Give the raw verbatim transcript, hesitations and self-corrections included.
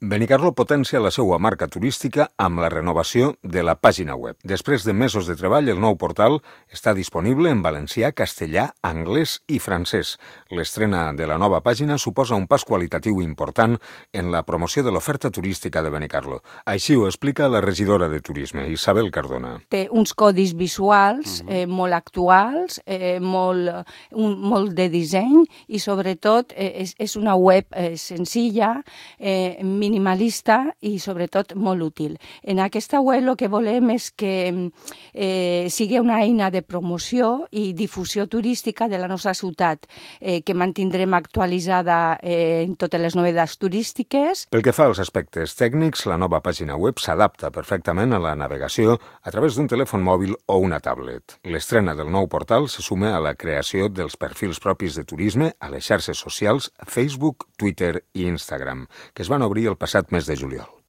Benicarló potencia la seva marca turística amb la renovació de la pàgina web. Després de mesos de treball, el nou portal està disponible en valencià, castellà, anglès i francès. L'estrena de la nova pàgina suposa un pas qualitatiu important en la promoció de l'oferta turística de Benicarló. Així ho explica la regidora de Turisme, Isabel Cardona. Té uns codis visuals eh, molt actuals, eh, molt, un, molt de disseny i sobretot eh, és, és una web eh, senzilla, eh, minimalista i sobretot molt útil. En aquesta web el que volem és que eh, sigui una eina de promoció i difusió turística de la nostra ciutat, eh, que mantindrem actualitzada eh, en totes les novetats turístiques. Pel que fa als aspectes tècnics, la nova pàgina web s'adapta perfectament a la navegació a través d'un telèfon mòbil o una tablet. L'estrena del nou portal se suma a la creació dels perfils propis de turisme a les xarxes socials Facebook, Twitter i Instagram, que es van obrir el passat mes de juliol.